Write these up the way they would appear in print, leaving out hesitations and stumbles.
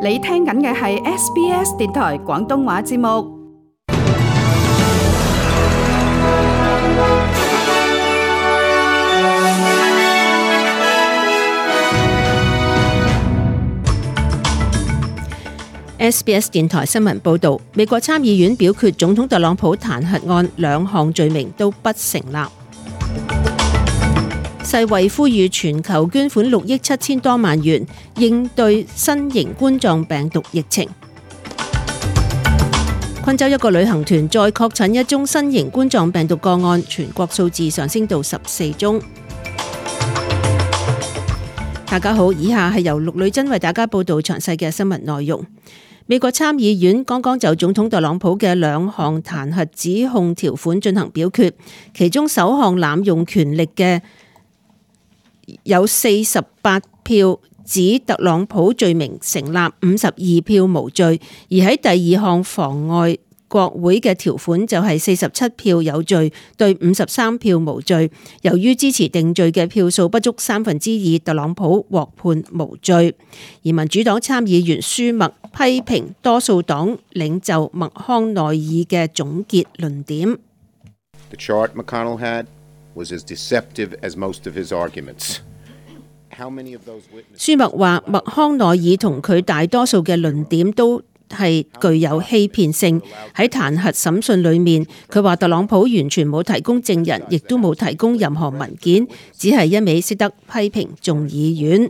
你聽緊嘅係 SBS 電台廣東話節目。SBS 電台新聞報導，美國參議院表決總統特朗普彈劾案兩項罪名都不成立。世衛呼籲全球捐款6億7千多萬元應對新型冠狀病毒疫情。昆州一個旅行團再確診一宗新型冠狀病毒個案，全國數字上升到14宗。大家好，以下係由陸女珍為大家報道詳細嘅新聞內容。美國參議院剛剛就總統特朗普嘅兩項彈劾指控條款進行表決，其中首項濫用權力嘅有48票指特朗普罪名成立，52票無罪；而喺第二項妨礙國會嘅條款就係47票有罪對53票無罪。由於支持定罪嘅票數不足2/3，特朗普獲判無罪。而民主黨參議員舒默批評多數黨領袖麥康奈爾嘅總結論點。The chart McConnell had was as deceptive as most of his arguments. 舒默話麥康奈爾同佢大多數嘅論點都係具有欺騙性。喺彈劾審訊裏面，佢話特朗普完全冇提供證人，亦都冇提供任何文件，只係一味識得批評眾議院。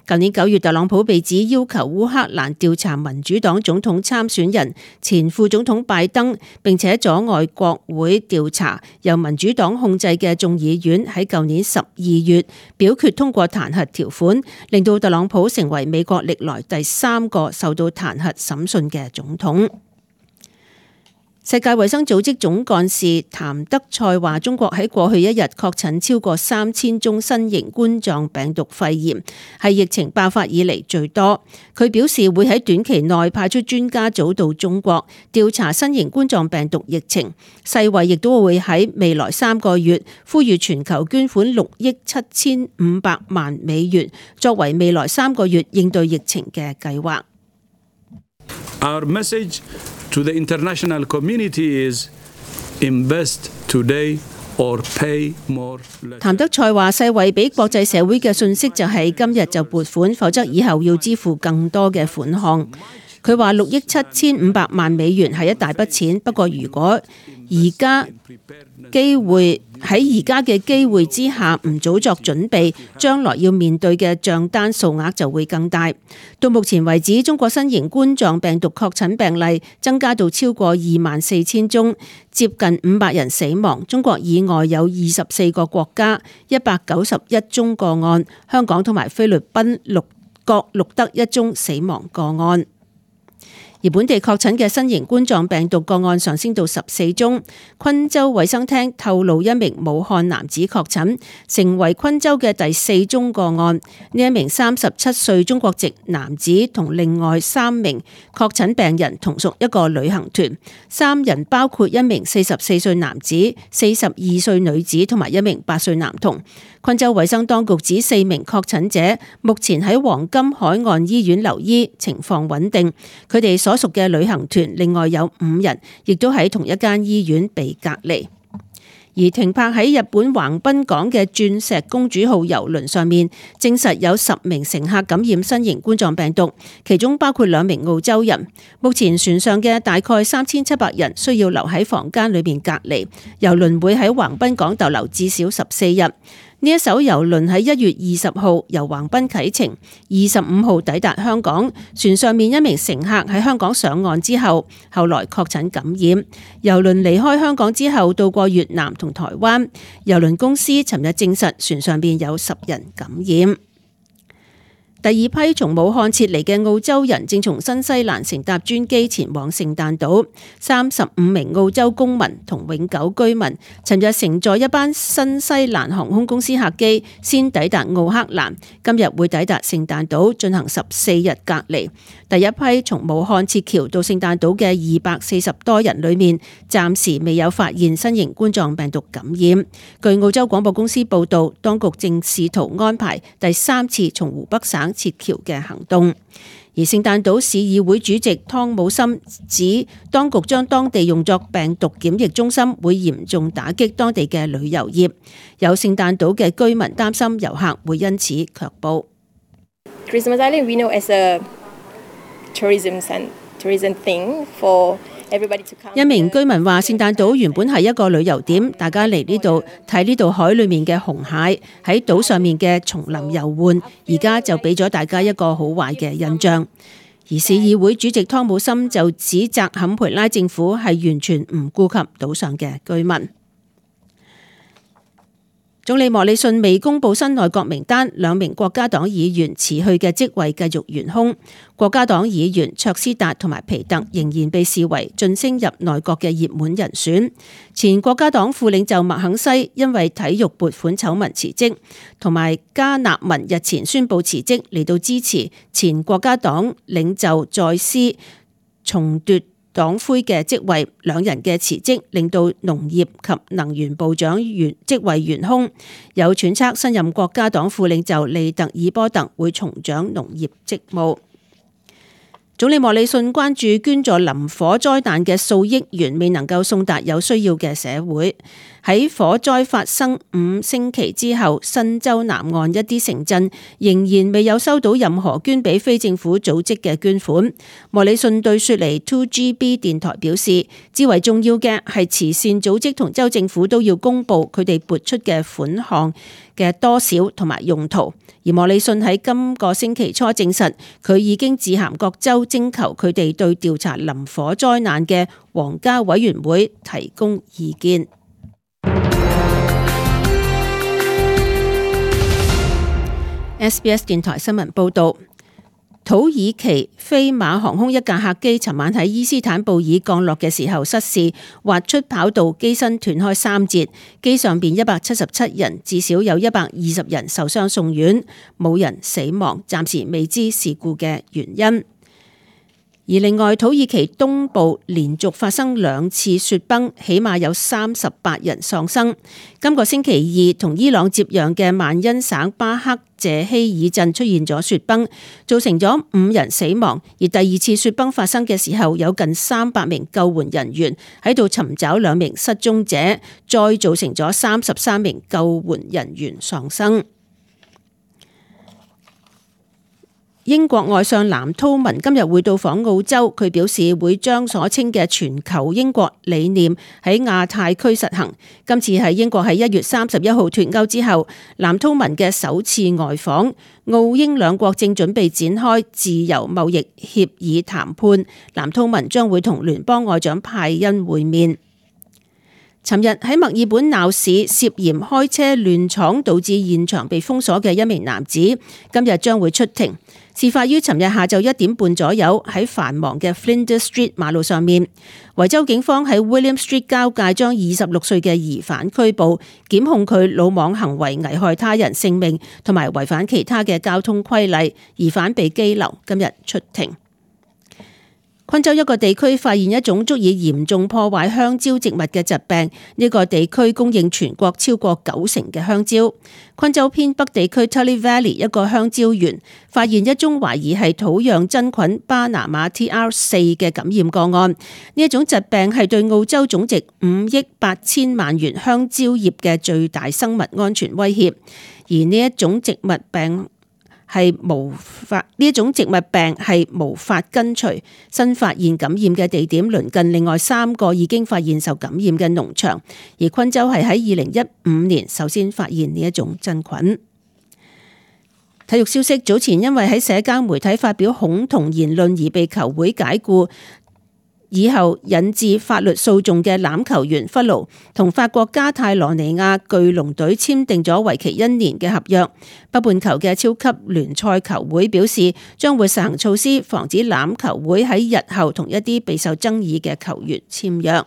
舊年9月，特朗普被指要求烏克蘭調查民主黨總統參選人前副總統拜登，並且阻礙國會調查。由民主黨控制嘅眾議院喺舊年12月表決通過彈劾條款，令到特朗普成為美國歷來第3個受到彈劾審訊嘅總統。世界衛生組織總幹事譚德塞話，中國喺過去一日確診超過3000宗新型冠狀病毒肺炎，係疫情爆發以嚟最多。佢表示會喺短期內派出專家組到中國調查新型冠狀病毒疫情。世衛亦都會喺未來3個月呼籲全球捐款6億7500萬美元，作為未來3個月應對疫情嘅計劃。Our message to the international community is invest today or pay more. 譚德塞話：世衛俾國際社會嘅訊息就係今日就撥款，否則以後要支付更多嘅款項。佢話6億7500萬美元係一大筆錢，不過如果而家嘅機會之下唔早作準備，將來要面對嘅賬單數額就會更大。到目前為止，中國新型冠狀病毒確診病例增加到超過24000宗，接近500人死亡。中國以外有24個國家191宗個案，香港同埋菲律賓各錄得1宗死亡個案。而本地確診嘅新型冠狀病毒個案上升到14宗。昆州衛生廳透露一名武漢男子確診，成為昆州嘅第4宗個案。呢一名37歲中國籍男子同另外3名確診病人同屬一個旅行團，3人包括一名44歲男子、42歲女子同埋一名8歲男童。昆州衛生當局指4名確診者目前喺黃金海岸醫院留醫，情況穩定。佢哋所屬嘅旅行團另外有5人，亦都喺同一間醫院被隔離。而停泊喺日本橫濱港嘅鑽石公主號郵輪上面，證實有10名乘客感染新型冠狀病毒，其中包括2名澳洲人。目前船上嘅大概3700人需要留喺房間裏面隔離。郵輪會喺橫濱港逗留至少14日。呢一艘郵輪喺1月20號由橫濱啟程，25號抵達香港。船上面一名乘客喺香港上岸之後，後來確診感染。郵輪離開香港之後，到過越南同台灣。郵輪公司尋日證實船上面有10人感染。第二批從武漢撤離嘅澳洲人正從新西蘭乘搭專機前往聖誕島。35名澳洲公民同永久居民尋日乘坐一班新西蘭航空公司客機先抵達奧克蘭，今日會抵達聖誕島進行14日隔離。第一批從武漢撤僑到聖誕島嘅240多人裏面，暫時未有發現新型冠狀病毒感染。據澳洲廣播公司報道，當局正試圖安排第3次從湖北省撤僑嘅行動。而而聖誕島市議會主席湯姆森指，當局將當地用作病毒檢疫中心，會嚴重打擊當地嘅旅遊業。有聖誕島嘅居民擔心遊客會因此卻步。Christmas Island we know as a tourism thing for everybody to come. 一名居民話：聖誕島原本係一個旅遊點，大家嚟呢度睇呢度海裡面嘅紅蟹，喺島上面嘅叢林遊玩，而家就俾咗大家一個好壞嘅印象。而市議會主席湯姆森就指責坎培拉政府係完全唔顧及島上嘅居民。總理莫里遜未公布新內閣名單，2名國家黨議員辭去嘅職位繼續懸空。國家黨議員卓斯達同埋皮特仍然被視為晉升入內閣嘅熱門人選。前國家黨副領袖麥肯西因為體育撥款醜聞辭職，同埋加納文日前宣布辭職嚟到支持前國家黨領袖在斯重奪黨魁嘅職位，兩人嘅辭職令到農業及能源部長職位懸空。有揣測新任國家黨副領袖利特爾波特會重掌農業職務。總理莫里遜關注捐助林火災難嘅數億元未能夠送達有需要嘅社會。喺火災發生5星期之後，新州南岸一啲城鎮仍然未有收到任何捐俾非政府組織嘅捐款。莫里遜對雪梨 2GB 電台表示，至為重要嘅係慈善組織同州政府都要公布佢哋撥出嘅款項嘅多少同埋用途。而莫里遜喺今個星期初證實，佢已經致函各州徵求佢哋對調查林火災難嘅皇家委員會提供意見。SBS 電台新聞報導，土耳其飛馬航空一架客機尋晚喺伊斯坦布爾降落嘅時候失事，滑出跑道，機身斷開3節，機上邊177人，至少有120人受傷送院，冇人死亡，暫時未知事故嘅原因。而另外，土耳其東部連續發生2次雪崩，起碼有38人喪生。今個星期二，同伊朗接壤嘅曼恩省巴克謝希爾鎮出現咗雪崩，造成咗5人死亡。而第2次雪崩發生嘅時候，有近300名救援人員喺度尋找2名失蹤者，再造成咗33名救援人員喪生。英國外相藍韜文今日會到訪澳洲，佢表示會將所稱嘅全球英國理念喺亞太區實行。今次係英國喺1月31號脫歐之後，藍韜文嘅首次外訪。澳英兩國正準備展開自由貿易協議談判，藍韜文將會同聯邦外長派恩會面。尋日喺墨爾本鬧市涉嫌開車亂闖導致現場被封鎖嘅一名男子，今日將會出庭。事發於尋日下晝1點半左右，喺繁忙嘅 Flinders Street 馬路上面。維州警方喺 William Street 交界將26歲嘅疑犯拘捕，檢控佢魯莽行為危害他人性命同埋違反其他嘅交通規例。疑犯被羈留，今日出庭。昆州一個地區發現一種足以嚴重破壞香蕉植物嘅疾病，呢個地區供應全國超過90%嘅香蕉。昆州偏北地區 Tully Valley 一個香蕉園發現一宗懷疑係土壤真菌巴拿馬 TR4 嘅感染個案，呢一種疾病係對澳洲總值5億8千萬元香蕉業嘅最大生物安全威脅，而呢一種植物病係無法根除。新發現感染嘅地點鄰近另外3個已經發現受感染嘅農場，而昆州係喺2015年首先發現呢一種真菌。體育消息，早前因為喺社交媒體發表恐同言論而被球會解僱，以後引致法律訴訟嘅欖球員弗勞同法國加泰羅尼亞巨龍隊簽訂咗為期1年嘅合約。北半球嘅超級聯賽球會表示，將會實行措施，防止欖球會喺日後同一啲備受爭議嘅球員簽約。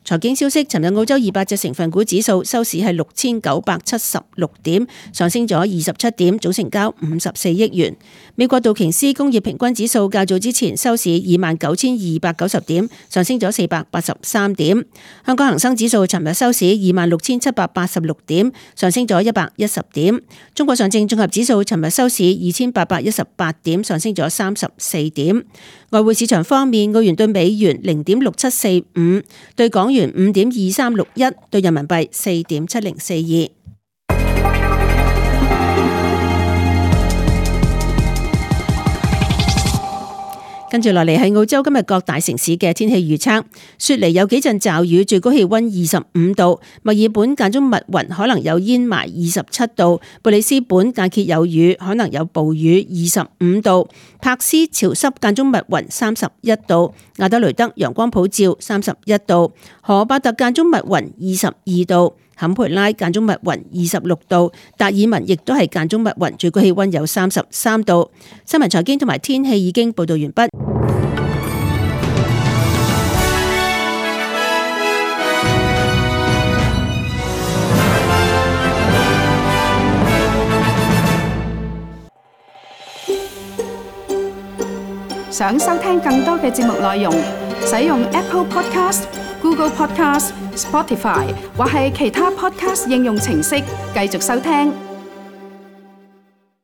財經消息，尋日澳洲200隻成分股指數收市係6976點，上升咗27點，總成交54億元。美國道瓊斯工業平均指數較早之前收市29,290點，上升咗483點。香港恒生指數尋日收市26,786點，上升咗110點。中國上證綜合指數尋日收市2,818點，上升咗34點。外匯市場方面，澳元對美元0.6745，對港元5.2361，對人民幣4.7042。跟住落嚟係澳洲今日各大城市嘅天氣預測。雪梨有幾陣驟雨，最高氣溫25度；墨爾本間中密雲，可能有煙霾27度；布里斯本間歇有雨，可能有暴雨25度；柏斯潮濕間中密雲31度；亞德雷德陽光普照31度；荷伯特間中密雲22度；坎培拉間中密雲26度；達爾文亦都係間中密雲，最高氣溫有33度。新聞財經同埋天氣已經報道完畢。想收聽更多嘅節目內容，使用 Apple Podcast、Google Podcast、Spotify 或係其他 Podcast 應用程式繼續收聽。